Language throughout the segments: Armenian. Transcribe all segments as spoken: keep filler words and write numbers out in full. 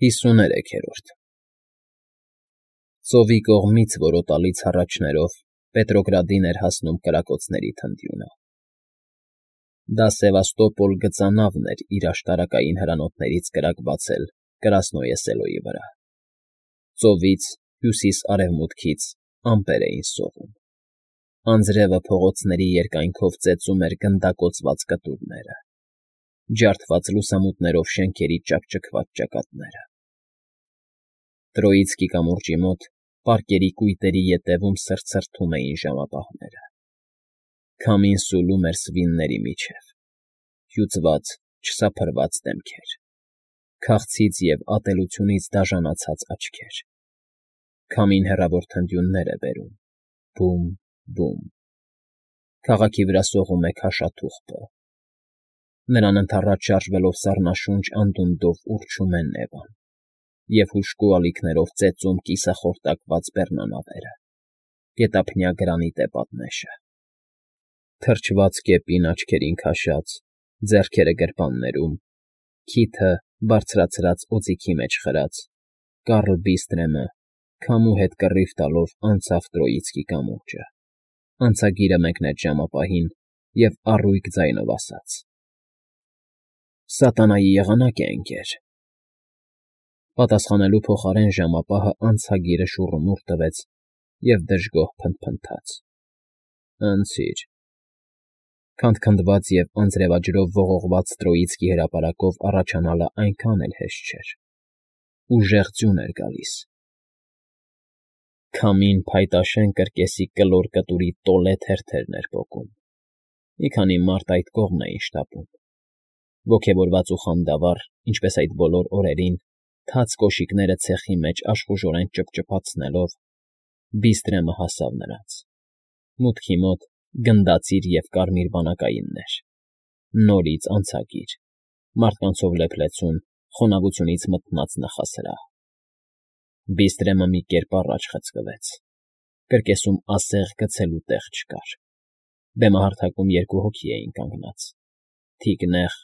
Հիսուներեքերորդ Ծովի կողմից որոտալից հառաչներով Պետրոգրադին էր հասնում կրակոցների թնդյունը. դա Սևաստոպոլ գծանավն էր իր աշտարակային հրանոթներից կրակ բացել Կրասնոյե Սելոյի վրա. ծովից, հյուսիս֊արևմուտքից ամպեր էին սողում, անձրևը փողոցների երկայնքով ծեծում էր գնդակոծված կտուրները, ջարդված լուսամուտներով շենքերի ճաքճքված ճակատները։ Տրոիցկի կամուրջի մոտ պարկերի կույտերի ետևում սրտսրտում էին ժամապահները. քամին սուլում էր սվինների միջև, հյուծված, չսափրված դեմքեր, քաղցից և ատելությունից դաժանացած աչքեր, քամին հեռավոր թնդյուններ է բերում, բում, բում, քաղաքի վրա սողում է քաշաթուղթը, նրան ընդառաջ շարժվելով սառնաշունչ անդունդով ուռչում է Նևան և հուժկու ալիքներով ծեծում կիսախորտակված բեռնանավերը, գետափնյա գրանիտե պատնեշը, թրջված կեպին աչքերին քաշած, ձեռքերը գրպաններում, քիթը բարձրացրած օձիքի մեջ խրած, Կարլ Բիստրեմը քամու հետ կռիվ տալով անցավ Տրոիցկի կամուրջը, անցագիրը մեկնեց ժամապահին և առույգ ձայնով ասաց. «Սատանայի եղանակ է, ընկեր»։ Պատասխանելու փոխարեն ժամապահը անցագիրը շուռումուռ տվեց և դժգոհ փնթփնթաց. «Անցիր»։ Քանդքնդված և անձրևաջրով ողողված Տրոիցկի հրապարակով առաջանալը այնքան էլ հեշտ չէր, ուժեղ ձյուն էր գալիս, քամին փայտաշեն կրկեսի կլոր կտուրի տոլե թերթերն էր պոկում, մի քանի մարդ այդ կողմն էին շտապում, ոգևորված ու խանդավառ, ինչպես այդ բոլոր օրերին, թաց կոշիկները ցեխի մեջ աշխուժորեն ճփճփացնելով, Բիստրեմը հասավ նրանց, մուտքի մոտ գնդացիր և կարմիր բանակայիններ, նորից անցագիր, մարդկանցով լեփլեցուն, խոնավությունից մթնած նախասրահ։ Բիստրեմը մի կերպ առաջ խցկվեց, կրկեսում ասեղ գցելու տեղ չկար, բեմահարթակում երկու հոգի էին կանգնած, թիկնեղ,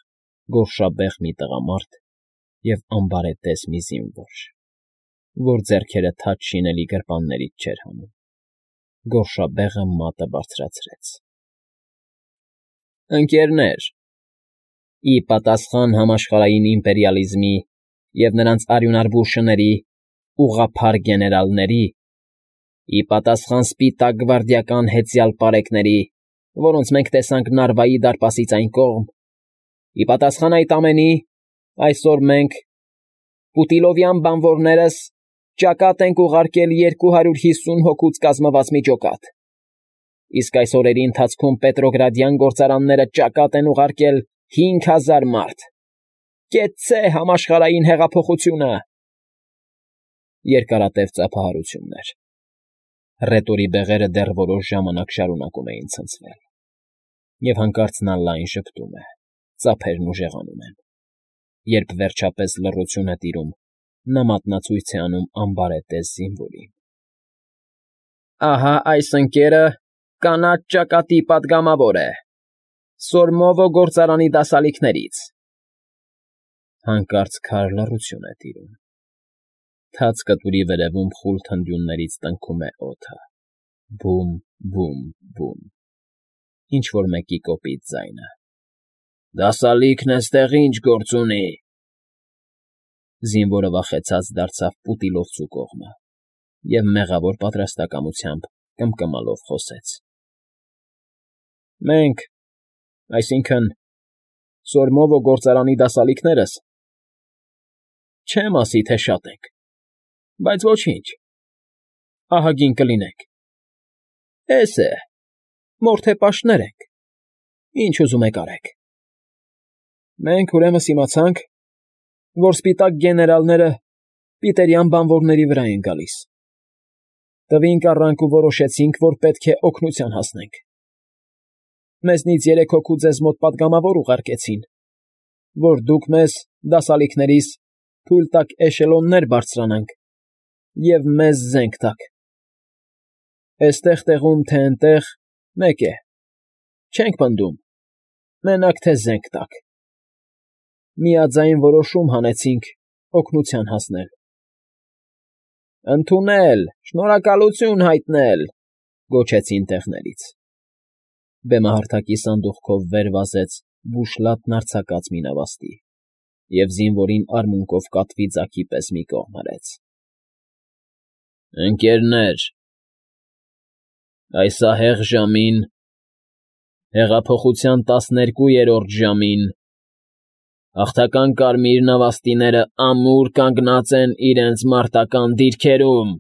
գորշաբեղ մի տղամարդ և ամբարետես մի զինվոր, որ ձեռքերը թաց շինելի գրպաններից չէր հանում, գորշաբեղը մատը բարձրացրեց. «Ընկ.-ներ, ի պատասխան համաշխարհային իմպերիալիզմի և նրանց արյունարբու շների, ուղղափառ գեներալների, ի պատասխան սպիտակ գվարդիական հեծյալ պարեկների, որոնց մենք տեսանք Նարվայի դարպասից այն կողմ, ի պատասխան այդ ամենի, այսօր մենք, Պուտիլովյան բանվորներս, ճակատ ենք ուղարկել երկու հարյուր հիսուն հոգուց կազմված մի ջոկատ, իսկ այս օրերի ընթացքում պետրոգրադյան գործարանները ճակատ են ուղարկել հինգ հազար մարդ։ Կեցցե համաշխարհային հեղափոխությունը»։ Երկարատև ծափահարություններ։ Ռետորի բեղերը դեռ որոշ ժամանակ շարունակում էին ցնցվել, և հանկարծ նա լայն ժպտում է, ծափերն ուժեղանում են, երբ վերջապես լռություն է տիրում, նա մատնացույց է անում ամբարետես զինվորին. «Ահա այս ընկերը կանաչ ճակատի պատգամավոր է, Սորմովո գործարանի դասալիքներից»։ Հանկարծ քար լռություն է տիրում, թաց կտուրի վերևում խուլ թնդյուններից տնքում է օդը. բում, բում, բում, ինչ֊որ մեկի կոպիտ ձայնը. «Դասալիքն էստեղ ի՞նչ գործ ունի»։ Զինվորը վախեցած դարձավ Պուտիլովցու կողմը և մեղավոր պատրաստակամությամբ կմկմալով խոսեց. «Մենք, այսինքն՝ Սորմովո գործարանի դասալիքներս, չեմ ասի, թե շատ ենք, բայց ոչինչ, ահագին կլինենք, էս է, մորթեպաշտներ ենք, ինչ ուզում եք արեք։ Մենք ուրեմն իմացանք, որ սպիտակ գեներալները պիտերյան բանվորների վրա են գալիս, տվինք առանք ու որոշեցինք, որ պետք է օգնության հասնենք։ Մեզնից երեք հոգու ձեզ մոտ պատգամավոր ուղարկեցին, որ դուք մեզ, դասալիքներիս, թույլ տաք էշելոններ բարձրանանք և մեզ զենք տաք։ Էստեղ տեղում, թե էնտեղ, մեկ է, չենք պնդում, մենակ թե զենք տաք։ Միաձայն որոշում հանեցինք, օգնության հասնել։ ֊ Ընդունել, շնորհակալություն հայտնել,֊ գոչեցին տեղներից։ Բեմահարթակի սանդուղքով վեր վազեց բուշլատն արձակած մի նավաստի և զինվորին արմունկով կատվի ձագի պես մի կողմ հրեց։ ֊ Ընկ.… այս ահեղ ժամին, հեղափոխության տասներկուերորդ ժամին, հաղթական կարմիր նավաստիներն ամուր կանգնած են իրենց մարտական դիրքերում,֊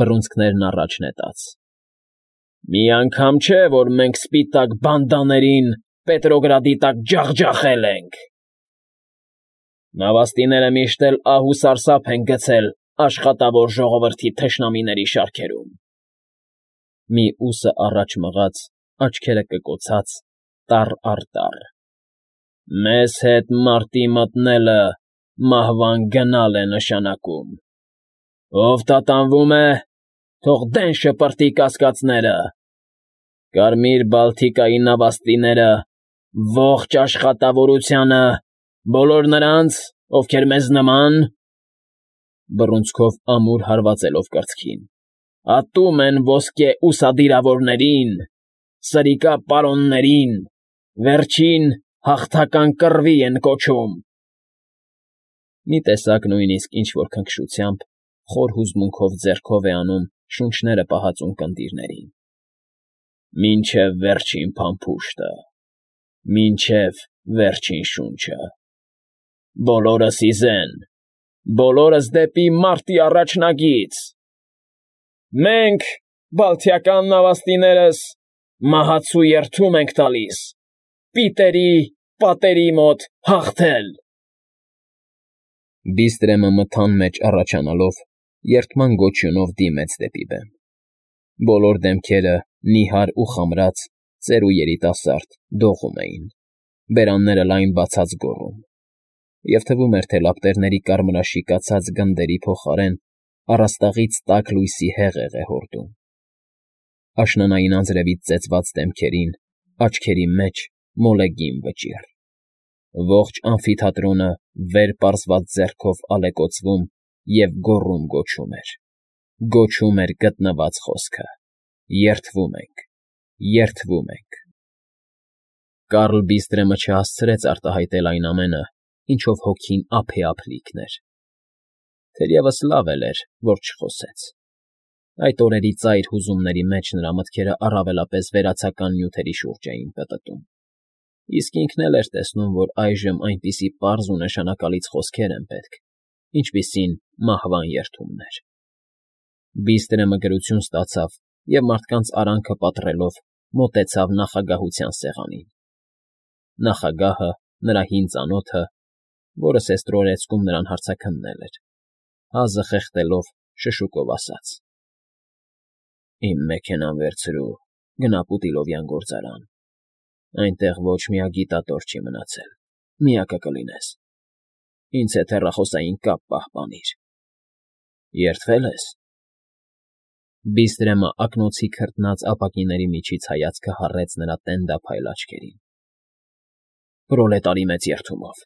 բռունցքներն առաջ նետած,֊ մի անգամ չէ, որ մենք սպիտակ բանդաներին Պետրոգրադի տակ ջախջախել ենք… Նավաստիները միշտ էլ ահ ու սարսափ են գցել աշխատավոր ժողովրդի թշնամիների շարքերում…֊ մի ուսը առաջ մղած, աչքերը կկոցած, տառ առ տառ,֊ մեզ հետ մարտի մտնելը մահվան գնալ է նշանակում… Ով տատանվում է, թող դեն շպրտի կասկածները… Կարմիր բալթիկայի նավաստիները ողջ աշխատավորությանը, բոլոր նրանց, ովքեր մեզ նման,֊ բռունցքով ամուր հարվածելով կրծքին,֊ ատում են ոսկե ուսադիրավորներին, սրիկա պարոններին, վերջին հաղթական կռվի են կոչում…֊ Մի տեսակ նույնիսկ ինչ֊որ քնքշությամբ, խոր հուզմունքով ձեռքով է անում շունչները պահածուն կնդիրներին։֊ Մինչև վերջին փամփուշտը, մինչև վերջին շունչը… Բոլորս ի զեն, բոլորս դեպի մարտի առաջնագիծ… Մենք, բալթիական նավաստիներս, մահացու երդում ենք տալիս Պիտերի պատերի մոտ հաղթել… Բիստրեմը մթան մեջ առաջանալով, երդման գոչյունով դիմեց դեպի բեմ. բոլոր դեմքերը, նիհար ու խամրած, ծեր ու երիտասարդ, դողում էին, բերանները լայն բացած գոռում, և թվում էր, թե լապտերների կարմրաշիկացած գնդերի փոխարեն առաստաղից տաք լույսի հեղեղ է հորդում… Աշնանային անձրևից ծեծված դեմքերին, աչքերի մեջ մոլեգին վճիռ… Ողջ ամֆիթատրոնը վեր պարզված ձեռքով ալեկոծվում և գոռում֊գոչում էր, գոչում էր գտնված խոսքը. երդվում ենք, երդվում ենք… Կարլ Բիստրեմը չհասցրեց արտահայտել այն ամենը, ինչով հոգին ափեափ լիքն էր… Թերևս լավ էլ էր, որ չխոսեց… Այդ օրերի ծայր հուզումների մեջ նրա մտքերը առավելապես վերացական նյութերի շուրջ էին պտտում, իսկ ինքն էլ էր տեսնում, որ այժմ այնպիսի պարզ ու նշանակալից խոսքեր են պետք, ինչպիսին մահվան երդումներ… Բիստրեմը գրություն ստացավ և մարդկանց արանքը պատռելով մոտեցավ նախագահության սեղանին… Նախագահը, նրա հին ծանոթը, որը սեստրորեցքում նրան հարցաքննել էր, հազը խեղդելով շշուկով ասաց. «Իմ մեքենան վերցրու, գնա Պուտիլովյան գործարան, այնտեղ ոչ մի ագիտատոր չի մնացել, միակը կլինես, ինձ հետ հեռախոսային կապ պահպանիր… Երդվե՞լ ես»… Բիստրեմը ակնոցի քրտնած ապակիների միջից հայացքը հառեց նրա տենդափայլ աչքերին։ ֊ Պրոլետարի մեծ երդումով,֊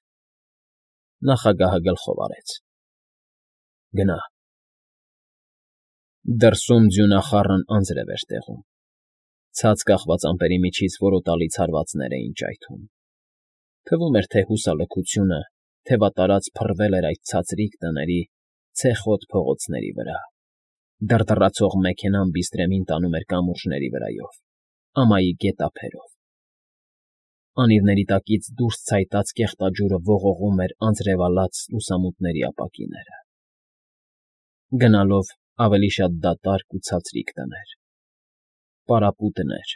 նախագահը գլխով արեց,֊ գնա… Դրսում ձյունախառն անձրև էր տեղում, ցած կախված ամպերի միջից որոտալի ցարվածներ էին ճայթում… Թվում էր, թե հուսալքությունը թևատարած փռվել էր այդ ցածրիկ տների, ցեխոտ փողոցների վրա, դռդռացող մեքենան Բիստրեմին տանում էր կամուրջների վրայով, ամայի գետափերով… Անիվների տակից դուրս ցայտած կեղտաջուրը ողողում էր անձրևալաց լուսամուտների ապակիները… Գնալով ավելի շատ դատարկ ու ցածրիկ տներ, պարապուտներ,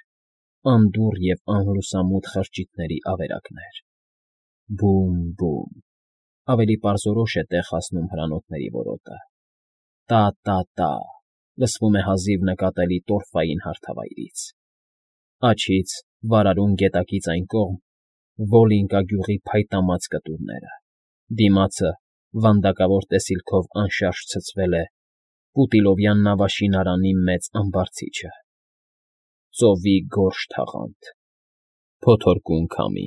անդուռ և անլուսամուտ խրճիթների ավերակներ… Բում֊բում… Ավելի պարզորոշ է տեղ հասնում հրանոթների որոտը… Տա՛֊տա՛֊տա՛, լսվում է հազիվ նկատելի տորֆային հարթավայրից… Աջից, վարարուն գետակից այն կողմ, Վոլինկա գյուղի փայտամած կտուրները, դիմացը վանդակավոր տեսիլքով անշարժ ցցվել է Պուտիլովյան նավաշինարանի մեծ ամբարձիչը… Ծովի գորշ թաղանթ… Փոթորկուն քամի…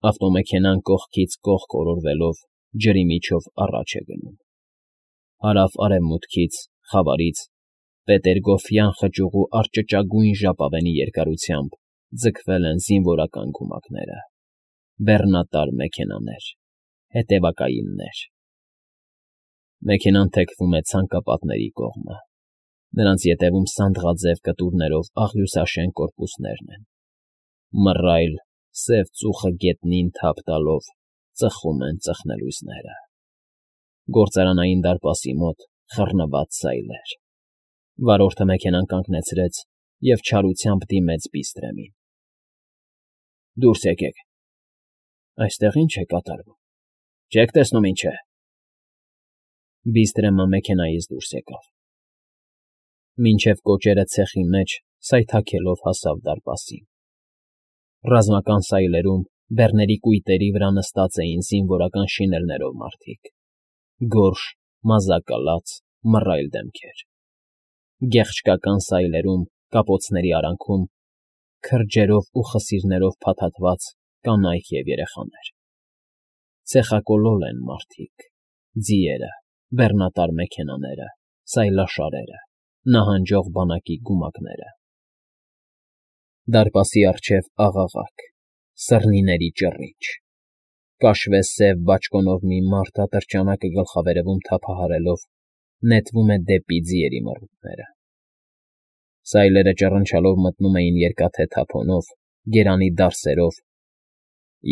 Ավտոմեքենան կողքից կողք օրորվելով ջրի միջով առաջ է գնում։ Հարավ֊արևմուտքից, խավարից, պետերգոֆյան խճուղու արճճագույն ժապավենի երկարությամբ ձգվել են զինվորական գումակները, բեռնատար մեքենաներ, հետևակայիններ։ Մեքենան թեքվում է ցանկապատների կողմը, նրանց ետևում սանդղաձև կտուրներով աղյուսաշեն կորպուսներն են, մռայլ, սև ծուխը գետնին թափ տալով ծխում են ծխնելույզները։ Գործարանային դարպասի մոտ խռնված սայլեր։ Վարորդը մեքենան կանգնեցրեց և չարությամբ դիմեց Բիստրեմին։ ֊ Դուրս եկեք։ ֊ Այստեղ ի՞նչ է կատարվում, չեք տեսնում ինչ է։ Բիստրեմը մեքենայից դուրս եկավ։ Մինչև կոճերը ցեխի մեջ սայթաքելով հասավ դարպասին։ Ռազմական սայլերում բեռների կույտերի վրա նստած էին զինվորական շինելներով մարդիկ, գորշ, մազակալած, մռայլ դեմքեր։ Գեղչկական սայլերում, կապոցների արանքում, քրջերով ու խսիրներով փաթաթված կանայք և երեխաներ։ Ցեխակոլոլ են մարդիկ, ձիերը, բեռնատար մեքենաները, սայլաշարերը, նահանջող բանակի գումակները։ Դարպասի առջև աղաղակ, սռնիների ճռինչ, կաշվե սև բաճկոնով մի մարդ ատրճանակը գլխավերևում թափահարելով նետվում է դեպի ձիերի մռութները։ Սայլերը ճռնչալով մտնում էին երկաթե թափոնով, գերանի դարսերով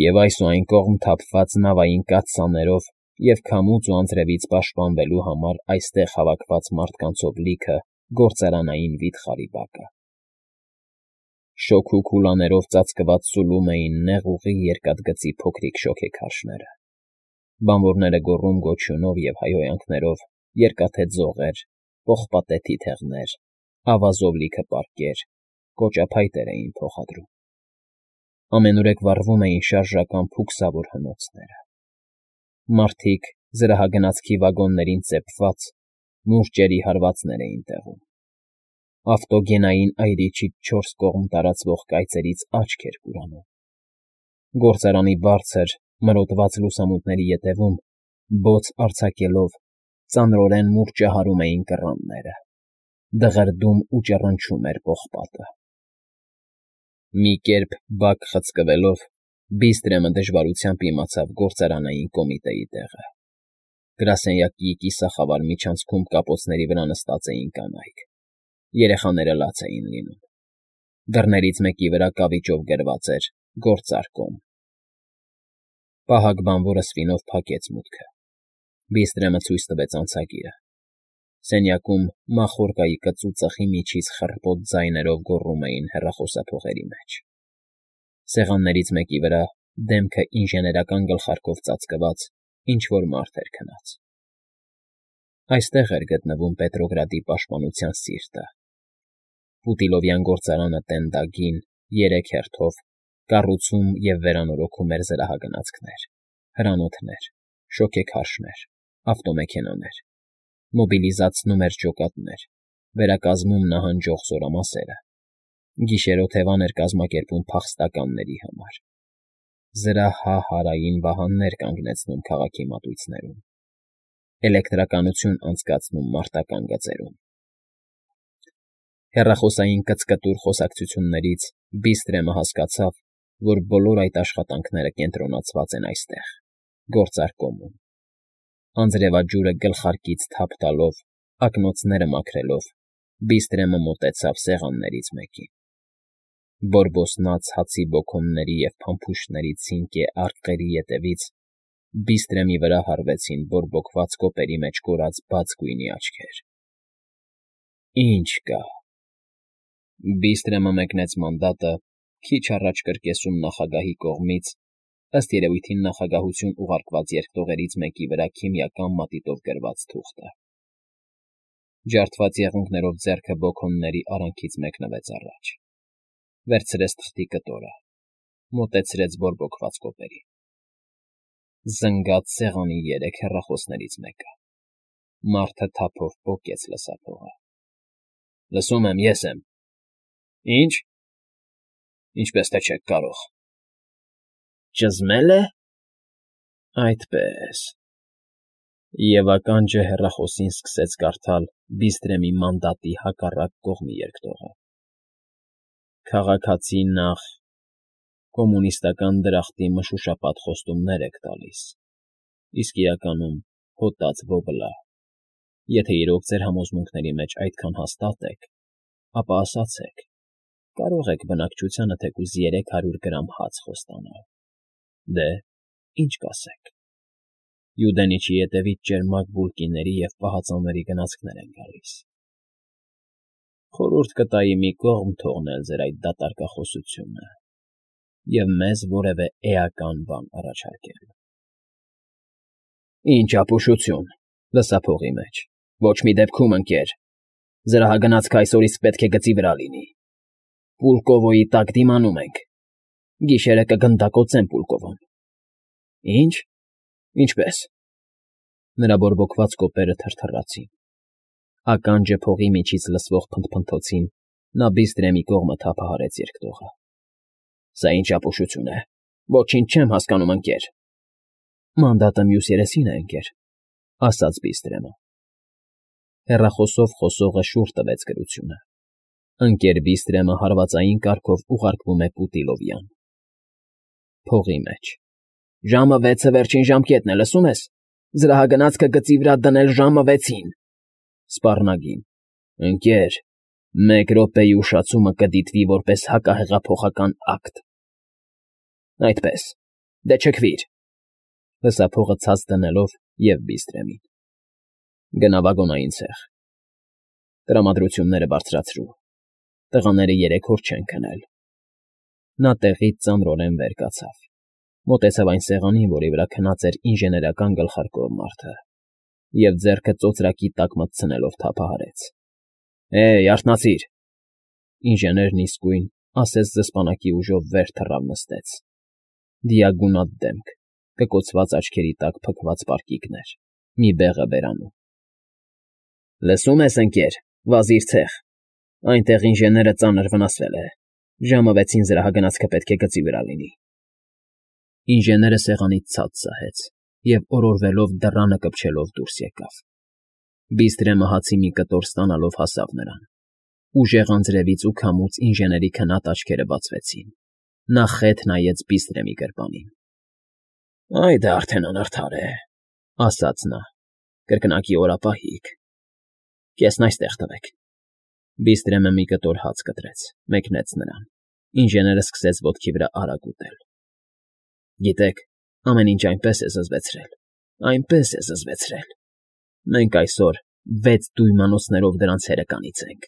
և այս ու այն կողմ թափված նավային կաթսաներով և քամուց ու անձրևից պաշտպանվելու համար այստեղ հավաքված մարդկանցով լիքը գործարանային վիթխարի բակը։ Շոգ ու քուլաներով ծածկված սուլում էին նեղուղի երկաթգծի փոքրիկ շոգեքարշները։ Բանվորները գոռում֊գոչյունով և հայհոյանքներով երկաթե ձողեր, պողպատե թիթեղներ, ավազով լիքը պարկեր, կոճափայտեր էին փոխադրում։ Ամենուրեք վառվում էին շարժական փուքսավոր հնոցները։ Մարդիկ զրահագնացքի վագոններին ծեփված մուրճերի հարվածներ էին տեղում։ Ավտոգենային այրիչից չորս կողմ տարածվող կայծերից աչք էր կուրանում։ Գործարանի բարձր, մրոտված լուսամուտների ետևում, բոց արձակելով, ծանրորեն մուրճահարում էին կռանները, դղրդում ու ճռնչում էր պողպատը։ Մի կերպ բակ խցկվելով Բիստրեմը դժվարությամբ իմացավ գործարանային կոմիտեի տեղը։ Գրասենյակի կիսախավար միջանցքում կապոցների վրա նստած էին կանայք, երեխաները լաց էին լինում։ Դռներից մեկի վրա կավիճով գրված էր «Գործարկում»։ Պահակ բանվորը սվինով փակեց մուտքը։ Բիստրեմը ցույց տվեց անցագիրը։ Սենյակում մախորկայի կծու ծխի միջից խռպոտ ձայներով գոռում էին հեռախոսափողերի մեջ։ Սեղաններից մեկի վրա, դեմքը ինժեներական գլխարկով ծածկված, ինչ֊որ մարդ էր քնած։ Այստեղ էր գտնվում Պետրոգրադի պաշտպանության սիրտը։ Պուտիլովյան գործարանը տենդագին, երեք հերթով, կառուցում և վերանորոգում էր զրահագնացքներ, հրանոթներ, շոգեքարշներ, ավտոմեքենաներ, մոբիլիզացնում էր ջոկատներ, վերակազմում նահանջող զորամասերը, գիշերօթևան էր կազմակերպում փախստականների համար, զրահահարային վահաններ կանգնեցնում քաղաքի մատույցներում, էլեկտրականություն անցկացնում մարտական գծերում։ Հեռախոսային կծկտուր խոսակցություններից Բիստրեմը հասկացավ, որ բոլոր այդ աշխատանքները կենտրոնացված են այստեղ, գործարկոմում։ Անձրևաջուրը գլխարկից թափ տալով, ակնոցները մաքրելով, Բիստրեմը մոտեցավ սեղաններից մեկին։ Բորբոսնած հացի բոքոնների և փամփուշտների ցինկե արկղերի ետևից Բիստրեմի վրա հառվեցին բորբոքված կոպերի մեջ կորած բաց գույնի աչքեր։ Ի՞նչ կա։ Բիստրեմը մեկնեց մանդատը քիչ առաջ կրկեսում նախագահի կողմից, ըստ երևույթին նախագահություն ուղարկված երկտողերից մեկի վրա քիմիական մատիտով գրված թուղթը։ Ջարդված եղունգներով ձեռքը բոքոնների արանքից մեկնվեց առաջ, վերցրեց թղթի կտորը, մոտեցրեց բորբոքված կոպերին։ Զնգած սեղանի երեք հեռախոսներից մեկը։ Մարդը թափով պոկեց լսափողը։ Լսում եմ, ես եմ։ Ի՞նչ։ Ինչպես թե չեք կարող։ Ճզմե՞լ է։ Այդպե՜ս։ Եվ ականջը հեռախոսին սկսեց կարդալ Բիստրեմի մանդատի հակառակ կողմի երկտողը. «Քաղաքացի նախ, կոմունիստական դրախտի մշուշապատ խոստումներ եք տալիս, իսկ իրականում հոտած ոբլա։ Եթե իրոք ձեր համոզմունքների մեջ այդքան հաստատ եք, ապա ասացեք, կարող եք բնակչությանը թեկուզ երեք հարյուր գրամ հաց խոստանալ։ Դե, ինչ կասեք։ Յուդենիչի ետևից ճերմակ բուլկիների և պահածոների գնացքներ են գալիս։ Խորհուրդ կտայի մի կողմ թողնել ձեր այդ դատարկախոսությունը և մեզ որևէ էական բան առաջարկել»։ «Ինչ ապուշություն, լսա փողի մեջ, ոչ մի դեպքում, ընկեր, զրահագնացքը այսօրից պետք է գծի վրա լինի։ Պուլկովոյի տակ դիմանում ենք, գիշերը կգնդակոծեմ Պուլկովոն»։ «Ի՞նչ, ինչպե՞ս»։ Նրա բորբոքված կոպերը թրթռացին։ Ականջը փողի միջից լսվող փնթփնթոցին նա Բիստրեմի կողմը թափահարեց երկտողը։ «Սա ի՞նչ ապուշություն է, ոչինչ չեմ հասկանում, ընկեր»։ «Մանդատը մյուս երեսին է, ընկեր», ֊ ասաց Բիստրեմը։ Հեռախոսով խոսողը շուռ տվեց գրությունը։ Ընկեր Բիստրեմը հարվածային կարգով ուղարկվում է Պուտիլովյան։ Փողի մեջ։ «Ժամը վեցը վերջին ժամկետն է, լսում ես։ Զրահագնացքը գծի վրա դնել ժամը վեցին»։ Սպառնագին։ «Ընկեր, մեկ րոպեի ուշացումը կդիտվի որպես հակահեղափոխական ակտ»։ «Այդպես, դե չքվիր», ֊ լսափողը ցած դնելով և Բիստրեմին։ «Գնա վագոնային ցեխ։ Տրամադրությունները բարձրացրու, տղաները երեք օր չեն քնել»։ Նա տեղից ծանրորեն վեր կացավ, մոտեցավ այն սեղանին, որի վրա քնած էր ինժեներական գլխարկով մարդը, և ձեռքը ծոծրակի տակ մտցնելով թափահարեց։ «Հեյ, արթնացիր»։ Ինժեներն իսկույն ասես զսպանակի ուժով վեր թռավ նստեց։ Դիագունատ դեմք, կկոցված աչքերի տակ փքված պարկիկներ, մի բեղը բերանում։ «Լսում ես, ընկեր, վազիր ցեխ, այնտեղ ինժեները ծանր վնասվել է, ժամը վեցին զրահագնացքը պետք է գծի վրա լինի»։ Ինժեները սեղանից ցած սահեց և օրորվելով դռանը կպչելով դուրս եկավ։ Բիստրեմը հացի մի կտոր ստանալով հասավ նրան։ Ուժեղ անձրևից ու քամուց ինժեների քնած աչքերը բացվեցին։ Նա խեթ նայեց Բիստրեմի գրպանին։ «Այ դա արդեն անարդար է», ֊ ասաց նա։ «Կրկնակի օրապահիկ։ Կեսն այստեղ տվեք»։ Բիստրեմը մի կտոր հաց կտրեց, մեկնեց նրան։ Ինժեները սկսեց ոտքի վրա արագ ուտել։ «Գիտեք, ամեն ինչ այնպես է զզվեցրել, այնպես է զզվեցրել։ Մենք այսօր վեց դույմանոցներով դրանց հերը կանիծենք,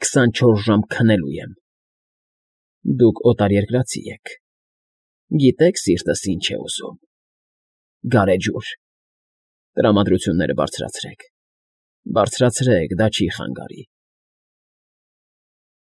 քսանչորս ժամ քնելու եմ։ Դուք օտարերկրացի եք, գիտեք սիրտս ինչ է ուզում։ Գարեջուր։ Տրամադրությունները բարձրացրեք, բարձրացրեք, դա չի խանգարի։